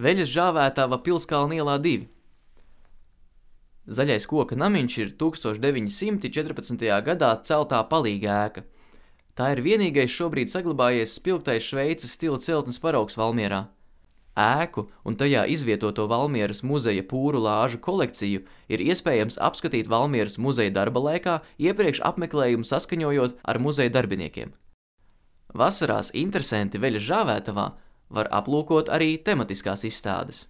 Veļas Žāvētava Pilskalna ielā 2. Zaļais koka namiņš ir 1914. gadā celtā palīga ēka. Tā ir vienīgais šobrīd saglabājies spilgtais Šveices stila celtnes paraugs Valmierā. Ēku un tajā izvietoto Valmieras muzeja pūru lāžu kolekciju ir iespējams apskatīt Valmieras muzeja darba laikā, iepriekš apmeklējumu saskaņojot ar muzeja darbiniekiem. Vasarās interesanti Veļas Žāvētavā var aplūkot arī tematiskās izstādes.